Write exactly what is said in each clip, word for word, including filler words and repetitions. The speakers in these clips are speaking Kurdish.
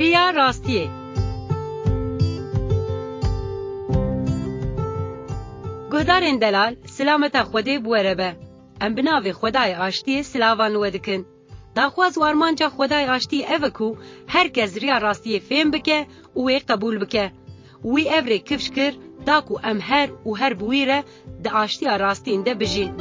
Riya rastiyê. Guhdarên delal, silameta Xwedê bi we re be. Em bi navê Xwedayê Aştiyê silavan li we dikin. Daxwaz û armanca Xwedayê Aştiyê ev e ku her kes riya rastiyê fêm bike û wê qebûl bike. Wî ev rê kifş kir, da ku em her û her bi wî re di aştiya rastîn de bijîn.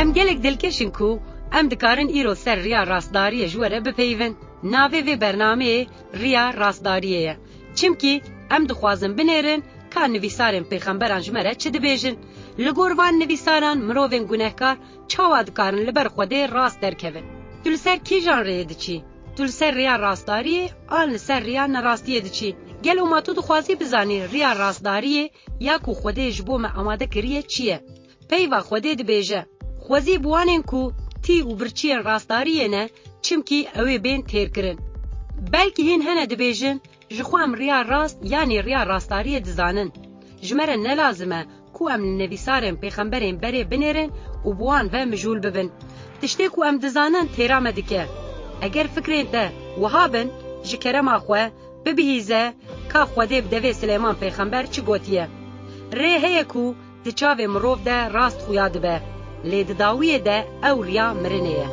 Em gelek dilkeş in ku em dikarin îro ser riya rastdariyê ji we re bipeyivin. Navê vê bernameyê Riya Rastdariyê ye. Çimkî em dixwazin binêrin ka nivîsarên pêxemberan ji me re çi dibêjin. Li gor van nivîsaran mirovên gunehkar çawa dikarin li ber Xwedê rast derkevin? Tu li ser kîjan rêyê diçî? Tu li ser rêya rastdariyê an li ser rêya nerastiyê diçî? Gelo ma tu dixwazî bizanî rêya rastdariyê ya ku Xwedê ji bo me amade kiriye çi ye? Peyva Xwedê dibêje, Xwezî bi wanên ku tî û birçiyên rastdariyê ne, çimkî ew ê bên têrkirin. Belkî hîn hene dibêjin, Ji xwe em riya rast yanî riya rastdariyê dizanin. Ji me re ne lazim e ku em li nivîsarên pêxemberên berê binêrin û bi wan ve mijûl bibin. Tiştê ku em dizanin têra me dike. Eger fikrên te wiha bin, ji kerema xwe bibihîze ka Xwedê bi devê Silêman pêxember çi gotiye. Rê heye ku di çavê mirov de rast xuya dibe, lê di dawiyê de ew riya mirinê ye.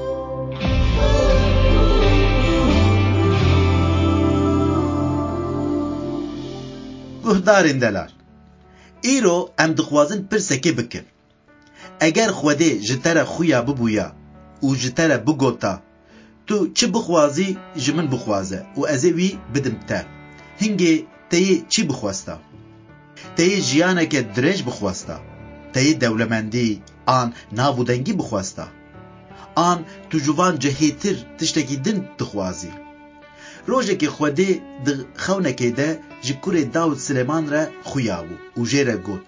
Guhdarên delal, îro em dixwazin pirsekê bikin. Eger Xwedê ji te re xuya bibûya û ji te re bigota, Tu çi bixwazî, ji min bixwaze û ez ê wî bidim te. Hingê te yê çi bixwesta? Te yê jiyaneke dirêj bixwesta? Te yê dewlemendî an nav û dengî bixwesta? An tu ji van cihêtir tiştekî din dixwazî? Rojekê Xwedê di xewnekê de ji kurê Dawid Silêman re xuya bû û jê re got,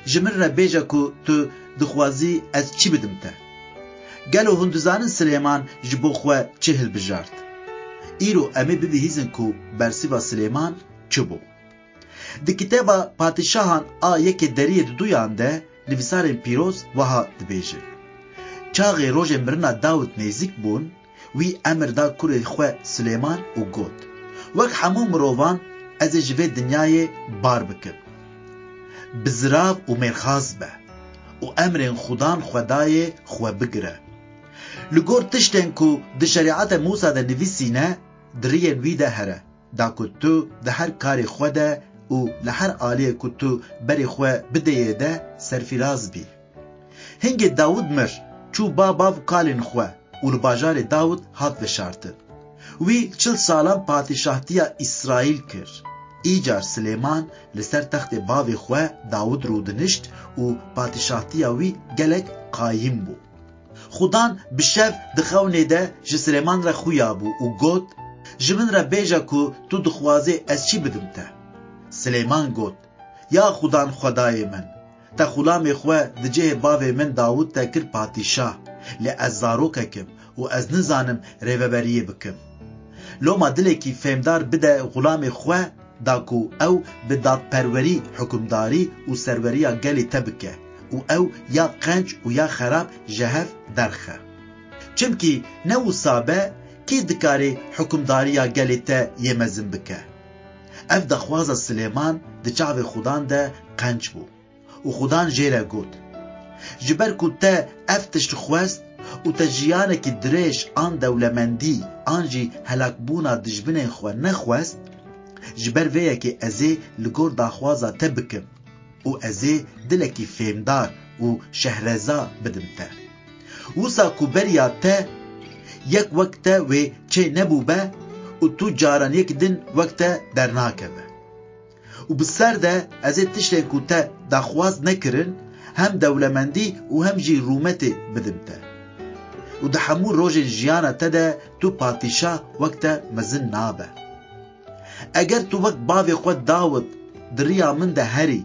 Ji min re bêje ku tu dixwazî ez çi bidim te? Gelo hûn dizanin Silêman ji bo xwe çi hilbijart? Îro em ê bibihîzin ku bersiva Silêman çi bû. Di kitêba Padîşahan a yekê deriyê di duyan de nivîsarên pîroz wiha dibêjin, Çaxê rojên mirina Dawid nêzîk bûn, wî emir da kurê xwe Silêman û got, Wek hemû mirovan ez ê ji vê dinyayê bar bikim. Bi zirav û mêrxas be û emrên Xudan Xwedayê xwe bigire. Li gor tiştên ku di Şerîeta Mûsa de nivîsîne, di riyên wî de here, da ku tu di her karê xwe de û li her aliyê ku tu berê xwe bideyê de serfîraz bî. Hingê Dawid mir, çû ba bav kalên xwe û li bajarê Dawid hat veşartin. Wî çil salan padîşahtiya Îsraîl kir. Îcar Silêman li ser textê bavê xwe Dawid rûdinişt û padîşahtiya wî gelek qayîm bû. Xudan bi şev di xewnê de ji Silêman re xuya bû û got, Ji min re bêje ku tu dixwazê ez çi bidim te? Silêman got, Ya Xudan Xwedayê min, te xulamê xwe di cihê bavê min Dawid de kir padîşah, lê ez zarokek im û ez nizanim rêveberiyê bikim. Loma dilekî fêmdar bide xulamê xwe, da ku ew bi dadperwerî, hukimdarî û serweriya gelê te bike û ew ya qenc û ya xerab ji hev derxe. Çimkî ne wisa be, kî dikarê hukimdariya gelê te yê mezin bike? Ev daxwaza Silêman di çavê Xudan de qenc bû. Û Xudan jê re got, Ji ber ku te ev tişt xwest û te jiyanekî dirêj an dewlemendî an jî helakbûna dijminên xwe nexwest, ji ber vê yekê ez ê li gor daxwaza te bikim û ez ê dilekî fêmdar û şehreza bidim te. Wisa ku beriya te yek wek te wê çê nebûbe û tu caran yek din wek te dernakeve. Û bi ser de ez ê tiştên ku te daxwaz nekirin, hem dewlemendî û hem jî rûmetê bidim te. Û di hemû rojên jiyana te de tu padîşah wek te mezin nabe. Eger tu wek bavê xwe Dawid di riya min de herî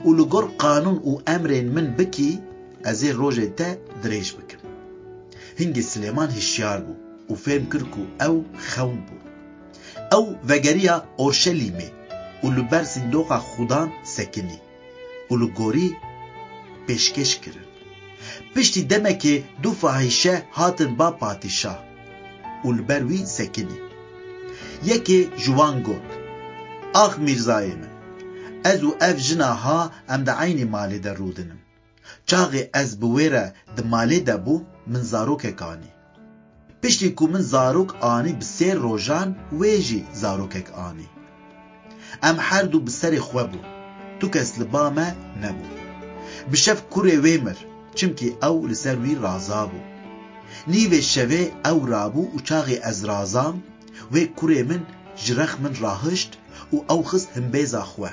û li gor qanûn û emrên min bikî, ez ê rojê te dirêj bikim. Hingê Silêman hişyar bû û fêm kir ku ew xewn bû. Ew vegeriya Orşelîmê û li ber sîndoqa Xudan sekinî û li gorî pêşkêş kirin. Piştî demekê du fahîşe hatin ba padîşah û li ber wî sekinî. Yekê ji wan got, "Ax mîrzayê min, ez û ev jina ha em di eynî malê de rûdinin. Çaxê ez bi wê re di malê de bûm, min zarokek anî. Piştî ku min zarok anî bi sê rojan wê jî zarokek anî. Em her du bi serê xwe bûn. Tu kes li ba me nebû. Bi şev kurê wê mir, çimkî ew li ser wî razabû. Nîvê şevê ew rabû û çaxê ez razam, wê kurê min ji rex min rahişt û ew xist himbêza xwe.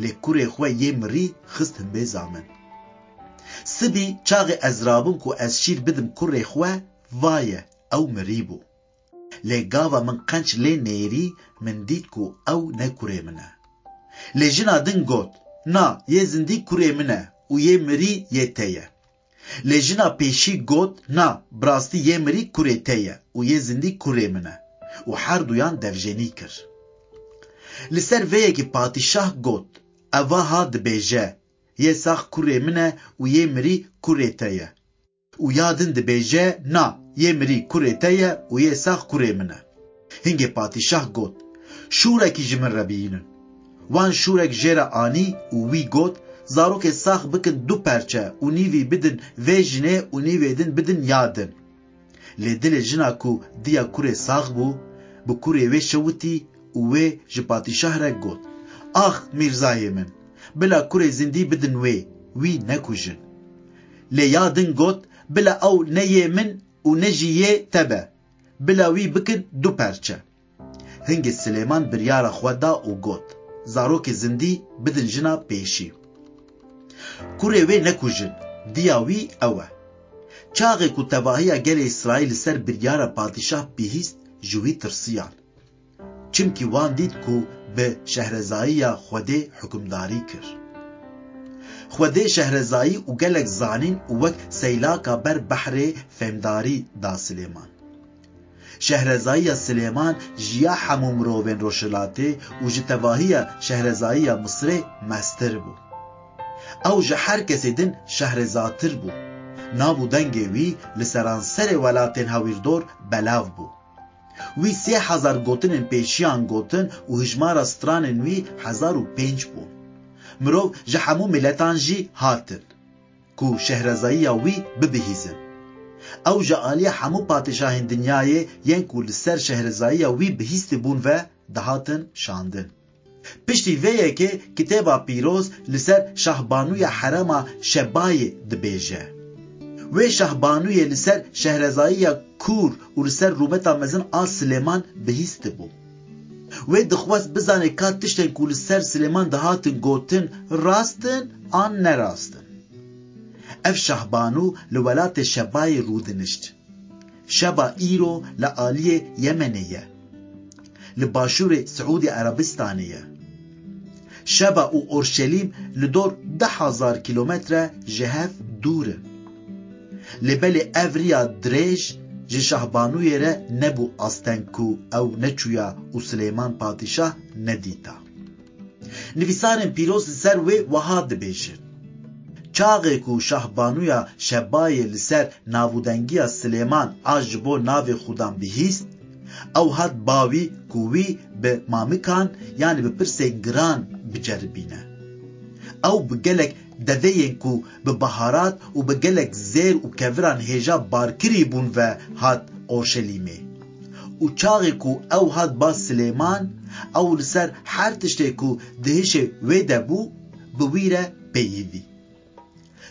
Lê kurê xwe yê mirî xist himbêza min. Sibî çaxê ez rabûm ku ez şîr bidim kurê xwe, vaye, ew mirî bû. Lê gava min qenc lê nêrî, min dît ku ew ne kurê min e." Lê jina din got, "Na, yê zindî kurê min e û yê mirî yê te ye." Lê jina pêşî got, "Na, bi rastî yê mirî kurê te ye û yê zindî kurê min e." Û her duyan devjenî kir. Li ser vê yekê padîşah got, "Eva ha dibêje, 'Yê sax kurê min e û yê mirî kurê te ye.' Û ya din dibêje, 'Na, yê mirî kurê te ye û yê sax kurê min e.'" Hingê padîşah got, "Şûrekî ji min re bihînin." Wan şûrek jê re anî û wî got, "Zarokê sax bikin du perçe û nîvî bidin vê jinê û nîvê din bidin ya din." Lê dilê jina ku diya kurê sax bû, bi kurê wê şewitî û wê ji padîşah re got, "Ax mîrzayê min, bila kurê zindî bidin wê, wî nekujin." Lê ya din got, "Bila ew ne yê min û ne jî yê te be, bila wî bikin du perçe." Hingê Silêman biryara xwe da û got, "Zarokê zindî bidin jina pêşî. Kurê wê nekujin, diya wî ew e." Çaxê ku tevahiya gelê Îsraîl li ser biryara padîşah bihîst, ji wî tirsiyan. Çimkî wan dît ku bi şehrezayiya Xwedê hukimdarî kir. Xwedê şehrezayî û gelek zanîn û wek seylaka ber behrê fêmdarî da Silêman. Şehrezayiya Silêman ji ya hemû mirovên Rojhilatê û ji tevahiya şehrezayiya Misirê mestir bû. Ew ji her kesê din şehrezatir bû. Nav û dengê wî li seranserê welatên hewîrdor belav bû. Wî sê hezar gotinên pêşiyan gotin û hijmara stranên wî hezar û pênc bûn. Mirov ji hemû miletan jî hatin ku şehrezayiya wî bibihîzin. Ew ji aliyê hemû padîşahên dinyayê yên ku li ser şehrezayiya wî bihîstibûn ve dihatin şandin. Piştî vê yekê Kitêba Pîroz li ser Şahbanûya Herema Şebayê dibêje, "Wê şahbanûyê li ser şehrezayiya Kûr û li ser rûmeta mezin a Silêman bihîstibû." Wê dixwest bizane ka tiştên ku li ser Silêman dihatin gotin rast in an ne rast in. Ev şahbanû li welatê Şebayê rûdinişt. Şeba îro li aliyê Yemenê ye. Li başûrê Siûdî Erebistanê ye. Şeba û Orşelîm li dor deh hezar kîlometre ji hev dûr in. Lê belê ev riya dirêj ji şahbanûyê re nebû asteng ku ew neçûya û Silêman Padîşah nedîta. Nivîsarên pîroz li ser wê wiha dibêjin, "Çaxê ku şahbanûya Şebayê li ser navûdengiya Silêman a ji bo navê Xudan bihîst, ew hat ba wî ku wî bi mamikan, yanî bi pirsên giran biceribîne. Ew bi gelek deveyên ku bi baharat û bi gelek zêr û keviran hêja barkirî bûn ve hat Orşelîmê. Û çaxê ku ew hat ba Silêman, ew li ser her tiştê ku di hişê wê de bû, bi wî re peyivî."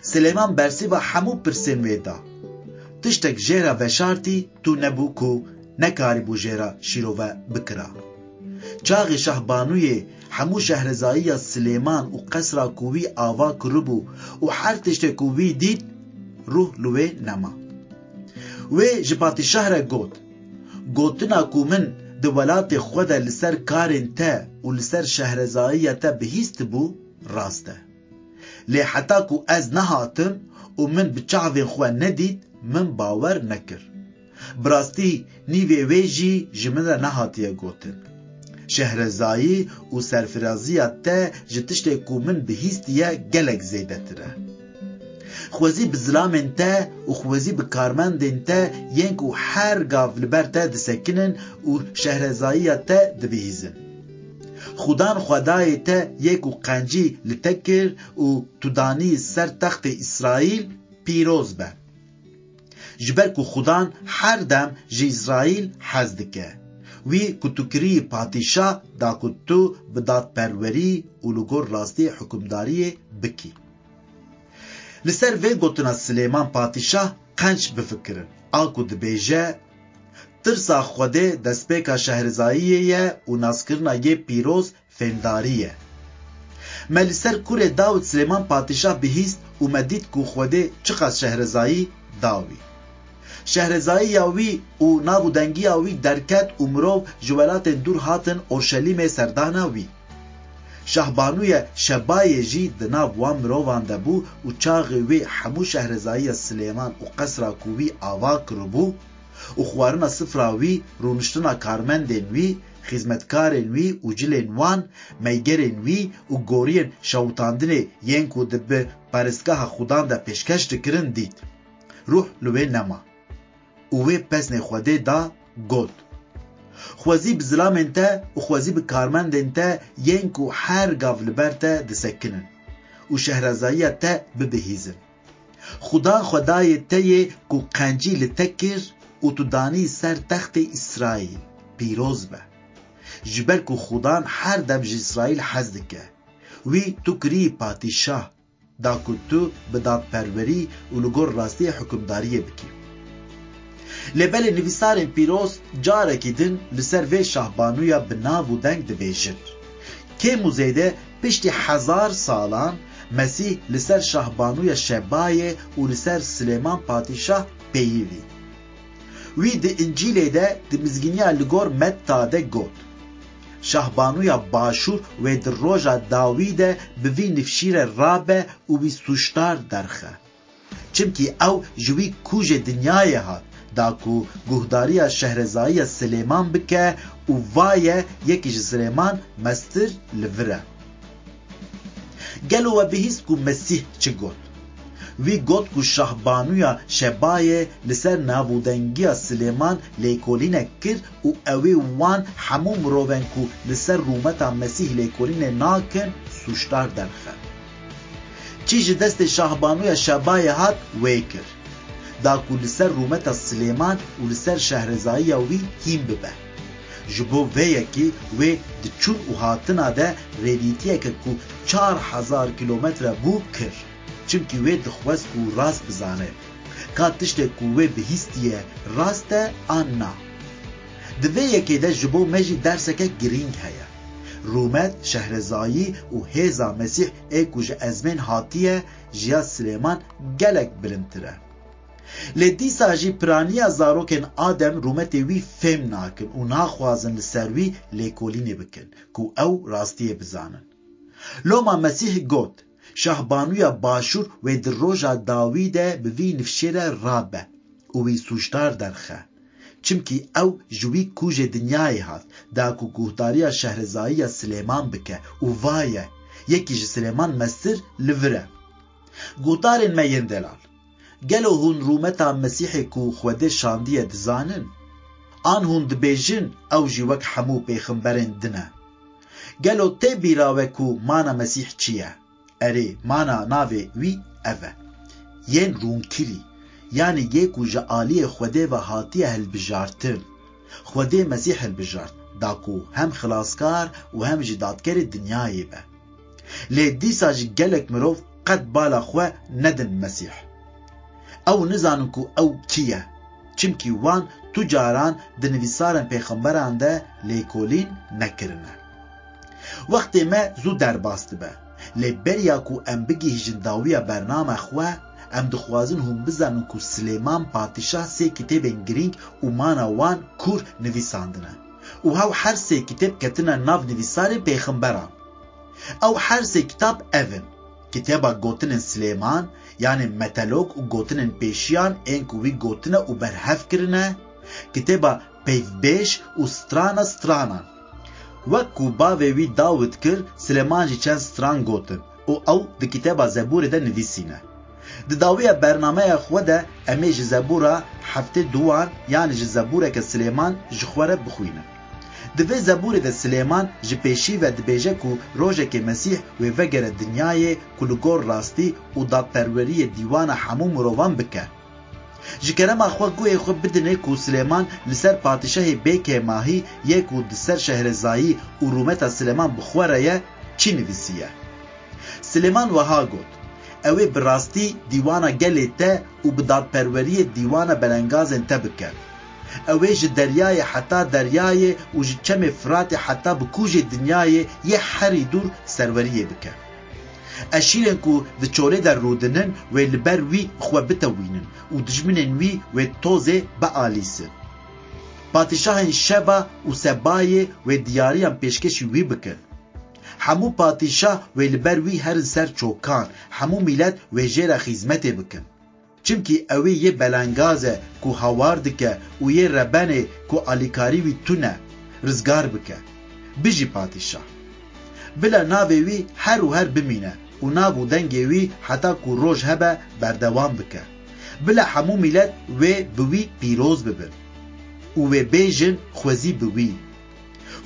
Silêman bersiva hemû pirsên wê da. Tiştek jê re veşartî tu nebû ku nekarîbû jê re şîrove bikira. Çaxê şahbanûyê hemû şehrezayiya Silêman û qesra ku wî ava kiribû û her tiştê ku wî dît, ruh li wê nema. Wê ji padîşah re got, "Gotina ku min di welatê xwe de li ser karên te û li ser şehrezayiya te bihîstibû, rast e. Lê heta ku ez nehatim û min bi çavên xwe nedît, min bawer nekir. Bi rastî nîvê wê jî ji min re nehatiye gotin. Şehrezayî û serfiraziya te ji tiştê ku min bihîstiye gelek zêdetir e." Xwezî bi zilamên te û xwezî bi karmendên te yên ku her gav li ber te disekinin û şehrezayiya te dibihîzin. Xudan Xwedayê te yê ku qencî li te kir û tu danî ser textê Îsraîl, pîroz be. Ji ber ku Xudan her dem ji Îsraîl hez dike. Wî ku tu kirî patîşah da ku tu bi dadperwerî û li gor rastiyê hukimdariyê bikî. Li ser vê gotina Silêman Padîşah qenc bifikirin, a ku dibêje, Tirsa Xwedê destpêka şehrezayiyê ye û naskirina yê pîroz fêmdarî ye. Me li ser kurê Dawid Silêman Padîşah bihîst û me dît ku Xwedê çiqas şehrezayî da wî. Şehrezayiya wî û nav û dengiya wî derket û mirov ji welatên dûr hatin Orşelîmê serdana wî. Şahbanûye Şebayê jî di nav wan mirovan de bû û çaxê wî hemû şehrezayiya Silêman û qesra ku wî ava kiribû û xwarina sifra wî, rûniştina karmendên wî, xizmetkarên wî û cilên wan, meygerên wî û goriyên şewitandinê yên ku di bi parêzgeha Xudan de pêşkeş dikirin dît. Ruh li wê nema. Û wê pesnê Xwedê da, got, Xwezî bi zilamên te û xwezî bi karmendên te yên ku her gav li ber te disekinin û şehrezayiya te bibihîzin. Xudan Xwedayê te yê ku qencî li te kir û tu danî ser textê Îsraîl, pîroz be. Ji ber ku Xudan her dem ji Îsraîl hez dike. Wî tu kirî patîşah, da ku tu bi dadperwerî û li gor rastiyê hukimdariyê bikî. Lê belê nivîsarên pîroz carekî din li ser vê şahbanûya bi nav û deng dibêjin. Kêm û zêde piştî hezar salan Mesîh li ser şahbanûya Şebayê û li ser Silêman Padîşah peyivî. Wî di Încîlê de di mizgîniya li gor Metta de got, Şahbanûya Başûr wê di roja dawî de bi vî nifşîre rabe û wî sûcdar derxe. Çimkî ew ji wî kûjê dinyayê hat, da ku guhdariya şehrezayiya Silêman bike û vaye yekî ji Silêman mestir li vir e. Gelo we bihîst ku Mesîh çi got? Wî got ku şahbanûya Şebayê li ser navûdengiya Silêman lêkolînek kir û ew ê wan hemû mirovên ku li ser rûmeta Mesîh lêkolînê nakin, sûcdar derxe. Çi ji destê şahbanûya Şebayê hat, wê kir. Da ku li ser rûmeta Silêman û li ser şehrezayiya wî hîn bibe. Ji bo vê yekê wê di çûn û hatina de rêdîtiyeke ku çar hezar kîlometre bû kir. Çimkî wê dixwest ku rast bizane. Ka tiştê ku wê bihîstiye rast e an na. Di vê yekê de ji bo me jî derseke girîng heye. Rûmet, şehrezayî û hêza Mesîh ê ku ji ezmên hatiye, ji ya Silêman gelek bilindtir e. Lê dîsa jî piraniya zarokên Adem rûmetê wî fêm nakin û naxwazin li ser wî lêkolînê bikin, ku ew rastiyê bizanin. Loma Mesîh got, Şahbanûya Başûr wê di roja dawî de bi vî nifşê re rabe û wî sûcdar derxe. Çimkî ew ji wî kûjê dinyayê hat, da ku guhdariya şehrezayiya Silêman bike û vaye, yekî ji Silêman mestir li vir e. Guhdarên me yên delal, gelo hûn rûmeta Mesîhê ku Xwedê şandiye dizanin? An hûn dibêjin ew jî wek hemû pêxemberên din e? Gelo tê bîra we ku mana Mesîh çi ye? Erê, mana navê wî ev e. Yên rûnkirî, yanî yê ku ji aliyê Xwedê ve hatiye hilbijartin. Xwedê Mesîh hilbijart, da ku hem xilaskar û hem jî dadkerê dinyayê be. Lê dîsa jî gelek mirov qet bala xwe nedin Mesîh. Ew nizanin ku ew kî ye, çimkî wan tu caran di nivîsarên pêxemberan de lêkolîn nekirine. Wextê me zû derbas dibe, lê beriya ku em bigihîjin dawiya bername xwe, em dixwazin hûn bizanin ku Silêman Padîşah sê kitêbên girîng û mana wan kûr nivîsandine û hew her sê kitêb ketine nav nivîsarên pêxemberan. Ew her sê kitab ev in: Kitêba Gotinên Silêman, yanê metelok û gotinên pêşiyan ên ku wî gotine û berhev kirine, kitêba Peyvbêj û Strana Stranan. Wek ku bavê wî Dawid kir, Silêman jî çend stran gotin û ew di kitêba Zebûrê de nivîsîne. Di dawiya bernameya xwe de em ê ji Zebûra heftê duwan, yanî ji Zebûreke Silêman ji xwe re bixwînin. Di vê Zebûrê de Silêman ji pêşî ve dibêje ku rojekê Mesîh wê vegere dinyayê ku li gor rastî û dadperweriyê dîwana hemû mirovan bike. Ji kerema xwe guhê xwe bidinê ku Silêman li ser padîşahê bêkêmahî yê ku di ser şehrezayî û rûmeta Silêman bi xwe re ye, çi nivîsiye. Silêman wiha got, Ew ê bi rastî dîwana gelê te û bi dadperweriyê dîwana belengazên te bike. Ew ê ji deryayê heta deryayê û ji çemê Firatê heta bi kûjê dinyayê yê herî dûr serweriyê bike. Eşîrên ku di çolê de rûdinin wê li ber wî xwe bitewînin û dijminên wî wê tozê bialîsin. Padîşahên Şeba û Sebayê wê diyariyan pêşkêşî wî bikin. Hemû padîşah wê li ber wî herin ser çokan, hemû mîlet wê jê re xîzmetê bikin. Çimkî ew ê yê belengaz e ku hawar dike û yê rebenê ku alîkarî wî tune, rizgar bike. Bijî padîşah! Bila navê wî her û her bimîne û nav û dengê wî heta ku roj hebe berdewam bike. Bila hemû mîlet wê bi wî pîroz bibin û wê bêjin, Xwezî bi wî.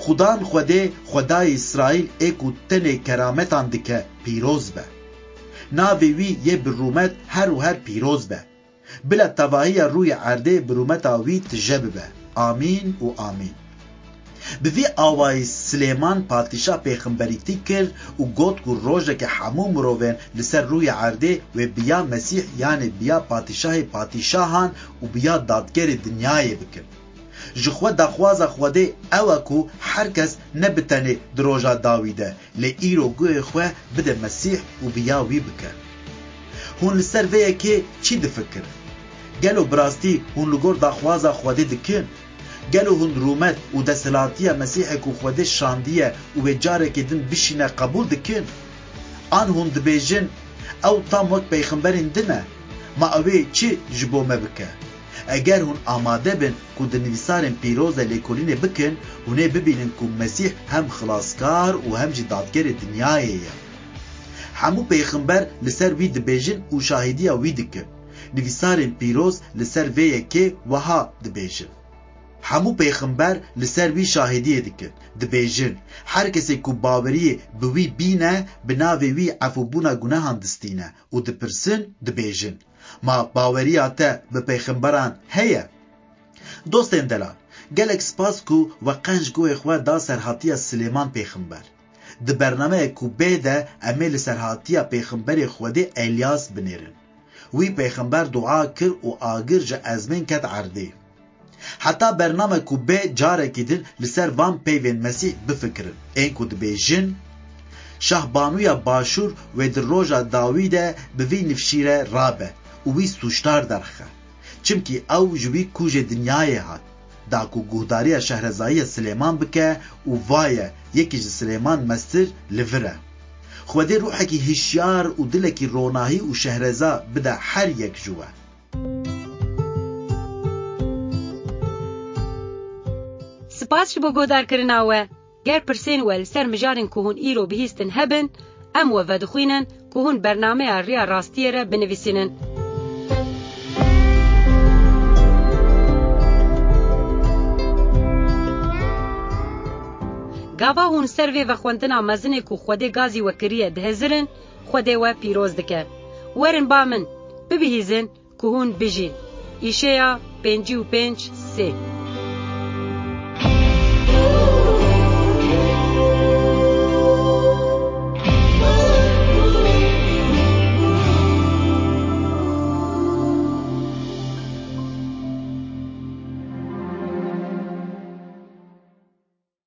Xudan Xwedê, Xwedayê Îsraîl ê ku tenê kerametan dike, pîroz be. Navê wî yê bi rûmet her û her pîroz be. Bila tevahiya rûyê erdê bi rûmeta wî tije bibe. Amîn û amîn. Bi vî awayî Silêman padîşah pêxemberîtî kir û got ku rojeke hemû mirovên li ser rûyê erdê wê biya Mesîh, yanê biya padîşahê padîşahan û biya dadgerê dinyayê bikin. Ji xwe daxwaza Xwedê ew e ku her kes ne bi tenê di roja dawî de, lê îro guhê xwe bide Mesîh û bi ya wî bike. Hûn li ser vê yekê çi difikirin? Gelo bi rastî hûn li gor daxwaza Xwedê dikin? Gelo hûn rûmet û desthilatiya Mesîhê ku Xwedê şandiye û wê carekê din bişîne qebûl dikin? An hûn dibêjin, Ew tam wek pêxemberên din e, ma ew ê çi ji bo me bike? Eger hûn amade bin ku di nivîsarên pîroz de lêkolînê bikin, hûn ê bibînin ku Mesîh hem xilaskar û hem jî dadgerê dinyayê ye. Hemû pêxember li ser wî dibêjin û şahîdiya wî dikin. Nivîsarên pîroz li ser vê yekê wiha dibêjin. Hemû pêxember li ser wî şahidiyê dikin, dibêjin, Her kesê ku baweriyê bi wî bîne, bi navê wî efûbûna gunehan distîne û dipirsin, dibêjin, Ma baweriya te bi pêxemberan heye? Dostên delal, gelek spas ku we qenc guhê xwe da serhatiya Silêman pêxember. Di bernameyek ku bê de em ê li serhatiya pêxemberê Xwedê Elyas binêrin. Wî pêxember dua kir û agir ji ezmên ket erdê. Heta bername ku bê carekî din li ser van peyvên Mesîh bifikirin. Ên ku dibêjin, Şahbanûya Başûr wê di roja dawî de bi vî nifşîre rabe û wî sûcdar derxe. Çimkî ew ji wî kûjê dinyayê hat, da ku guhdariya şehrezayiya Silêman bike û vaye, yekî ji Silêman mestir li vir e. Xwedê ruhekî hişyar û dilekî ronahî û şehreza bide her yek ji we. Spas ji bo guhdarkirina we. Ger pirsên we li ser mijarên ku hûn îro bihîstin hebin, em we vedixwînin ku hûn bernameya Riya Rastiyê re binivîsînin. Gava hûn ser vê vexwendina mezinê ku Xwedê gazî we kiriye dihizirin, Xwedê we pîroz dike. Werin ba min, bibihîzin ku hûn bijîn. Îşeya pêncî û pênc sê.